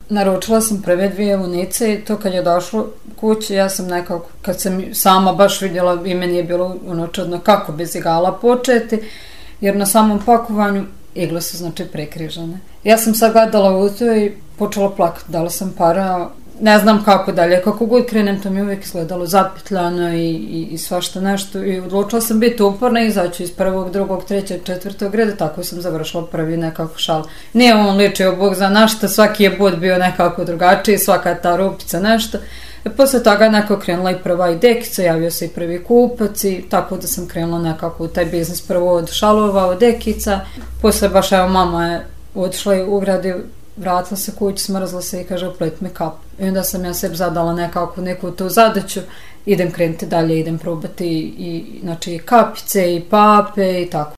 naručila sam prve 2 vunice i to kad je došlo kući, ja sam nekako, kad sam sama baš vidjela, i meni je bilo čudno kako bez igala početi, jer na samom pakovanju igle su znači prekrižane. Ja sam sad gledala u to i počela plakati, dala sam para, ne znam kako dalje, kako god krenem, to mi uvijek izgledalo zapetljano i svašta nešto i odlučila sam biti uporna i izaći iz 1., 2., 3., 4. reda, tako sam završila prvi nekako šal. Nije on ličio Bog za našta, svaki je bod bio nekako drugačiji, svaka ta rupica nešto. Posle toga nekako krenula i prva i dekica, javio se i prvi kupac i tako da sam krenula nekako u taj biznis prvo od šalova, od dekica. Posle baš evo mama je otišla i u grad i vratila se kući, smrzla se i kaže oplet mi kap. I onda sam ja sebi zadala nekako neku tu zadaću, idem krenuti dalje, idem probati i znači i kapice i pape i tako.